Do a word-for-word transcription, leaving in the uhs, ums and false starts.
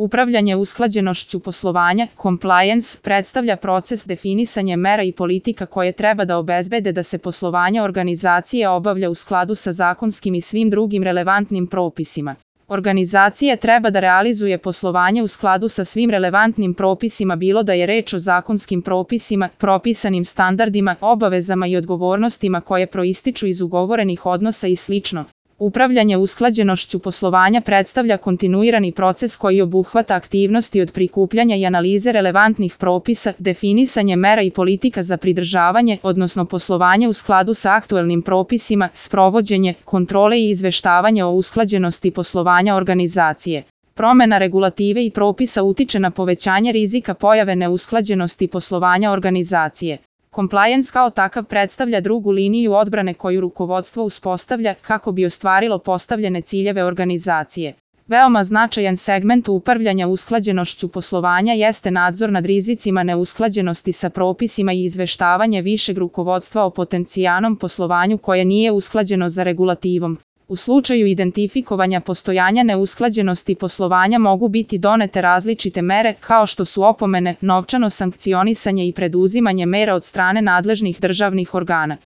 Upravljanje usklađenošću poslovanja, compliance, predstavlja proces definisanja mera i politika koje treba da obezbede da se poslovanje organizacije obavlja u skladu sa zakonskim i svim drugim relevantnim propisima. Organizacija treba da realizuje poslovanje u skladu sa svim relevantnim propisima, bilo da je reč o zakonskim propisima, propisanim standardima, obavezama i odgovornostima koje proističu iz ugovorenih odnosa i slično. Upravljanje usklađenošću poslovanja predstavlja kontinuirani proces koji obuhvata aktivnosti od prikupljanja i analize relevantnih propisa, definisanje mera i politika za pridržavanje, odnosno poslovanje u skladu sa aktuelnim propisima, sprovođenje, kontrole i izveštavanje o usklađenosti poslovanja organizacije. Promena regulative i propisa utiče na povećanje rizika pojave neusklađenosti poslovanja organizacije. Compliance kao takav predstavlja drugu liniju odbrane koju rukovodstvo uspostavlja kako bi ostvarilo postavljene ciljeve organizacije. Veoma značajan segment upravljanja usklađenošću poslovanja jeste nadzor nad rizicima neusklađenosti sa propisima i izveštavanje višeg rukovodstva o potencijalnom poslovanju koje nije usklađeno za regulativom. U slučaju identifikovanja postojanja neusklađenosti poslovanja mogu biti donete različite mere kao što su opomene, novčano sankcionisanje i preduzimanje mera od strane nadležnih državnih organa.